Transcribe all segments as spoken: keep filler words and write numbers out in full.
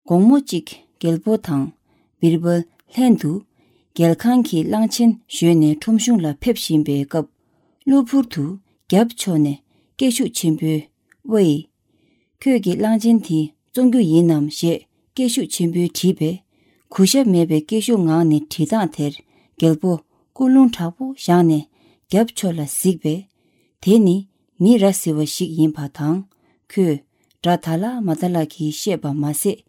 དགོང་མོ་གཅིག་རྒྱལ་པོ་དང་བིར་བལ་ལྷན་དུ་རྒྱལ་ཁང་གི་གླང་ཆེན་ཞོན་ནས་ཁྲོམ་གཞུང་ལ་ཕེབས་བཞིན་པའི་སྐབས། གློ་བུར་དུ་རྒྱབ་ཕྱོགས་ནས་སྐད་ཤུགས་ཆེན་པོས། ཝེ། ཁྱོད་ཀྱིས་གླང་ཆེན་དེ་བཙོང་རྒྱུ་ཡིན་ནམ་ཞེས་སྐད་ཤུགས་ཆེན་པོས་དྲིས་པས། གུས་ཞབས་མེད་པའི་སྐད་ཤུགས་ངང་ནས་དྲི་སྟངས་དེར་རྒྱལ་པོ་སྐུ་རླུང་དྲག་པོ་བཞེངས་ནས་རྒྱབ་ཕྱོགས་ལ་གཟིགས་པས། དེ་ནི་མི་ར་བཟི་བ་ཞིག་ཡིན་པ་དང་། ཁོས་སྒྲ་ད་ལ་མ་ད་ལ་གིས་བཤད་པ་མ་ཟད།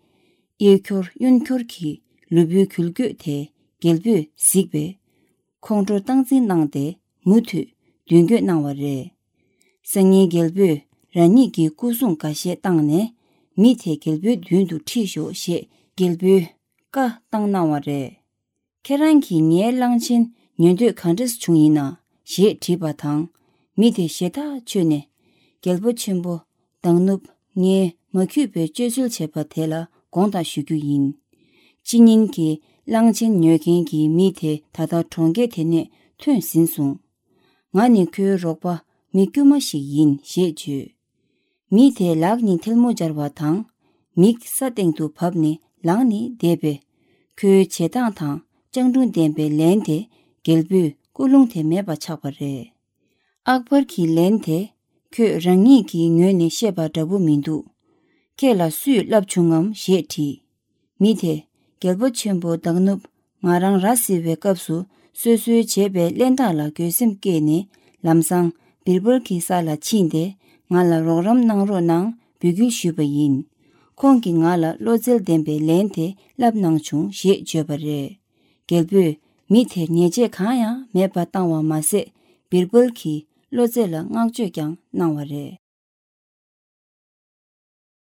གཡས་འཁྱོར་གཡོན་འཁྱོར་གྱིས་ལུས་པོའི་འགུལ་སྐྱོད་དེ་རྒྱལ་པོས་གཟིགས་པས། ཁོང་ཁྲོ་སྟངས་འཛིན་གནང་སྟེ་མུ་མཐུད་མདུན་སྐྱོད་གནང་བ་རེད། སང་ཉིན་རྒྱལ་པོས་རང་ཉིད་ཀྱི་སྐུ་སྲུང་འགའ་ཤས་བཏང་ནས་མི་དེ་རྒྱལ་པོའི་མདུན་དུ་ཁྲིད་ཤོག་ཞེས་རྒྱལ་པོའི་བཀའ་བཏང་གནང་བ་རེད། ཁྱེད་རང་གིས་ངའི་གླང་ཆེན་ཉོ་འདོད་ག་འདྲས་བྱུང་ཡིན་ན་ཞེས་དྲིས་པ་དང་། མི་དེ་ཞེ་ཐག་ཆོད་ནས། རྒྱལ་པོ་ཆེན་པོ་དང་ནུབ་ངས་མ་འཁྱུད་པའི་སྤྱོད་ཚུལ་བྱས་པ་དེ་ལ་དགོངས་དག་ཞུ་རྒྱུ་ཡིན། ཕྱི་ཉིན་གྱི་གླང་ཆེན་ཉོ་མཁན་གྱི་མི་དེ་ད་ལྟ་གྲོང་ཁྱེར་དེ་ནས་ཐོན་ཟིན་སོང་། ང་ནི་ཁོའི་རོགས་པ་མི་དཀྱུས་མ་ཞིག་ཡིན་ཞེས་བརྗོད། མི་དེས་ལག་གཉིས་ཐལ་མོ་སྦྱར་བ་དང་། མིག་ས་སྟེང་དུ་བབས་ནས་ལངས་ནས་བསྡད་པས། ཁོའི་བྱེད་སྟངས་དང་སྤྱང་གྲུང་ལྡན་པའི་ལན་དེ་རྒྱལ་པོས་སྐུ་རླུང་དེ་མེད་པ་ཆགས་པ་རེད། ཨག་བར་གྱི་ལན་དེ། ཁོས་རང་ཉིད་ཀྱི་ངོས་ནས་བཤད་པ་འདྲ་པོ་མི་འདུག་ཁྱེད་ལ་སུས་བསླབས་བྱུང་ངམ་ཞེས་དྲིས། མི་དེས་རྒྱལ་པོ་ཆེན་པོ་དང་ནུབ་ང་རང་ར་བཟི་བའི་སྐབས་སུ་སོ་སོའི་བྱས་པའི་གླེན་རྟགས་ལ་འགྱོད་སེམས་སྐྱེས་ནས་ལམ་སང་བིར་བལ་གྱི་ས་ལ་ཕྱིན་ཏེ་ང་ལ་རོགས་རམ་གནང་རོགས་གནང་འབོད་སྐུལ་ཞུས་པ་ཡིན། ཁོང་གིས་ང་ལ་བློ་རྩལ་ལྡན་པའི་ལན་དེ་བསླབས་གནང་བྱུང་ཞེས་བརྗོད་པ་རེད། རྒྱལ་པོས་མི་དེར་ཉེས་ཆད་གང་ཡང་མེད་པ་བཏང་བ་མ་ཟད། བིར་བལ་གྱི་བློ་རྩལ་ལ་བསྔགས་བརྗོད་ཀྱང་གནང་བ་རེད།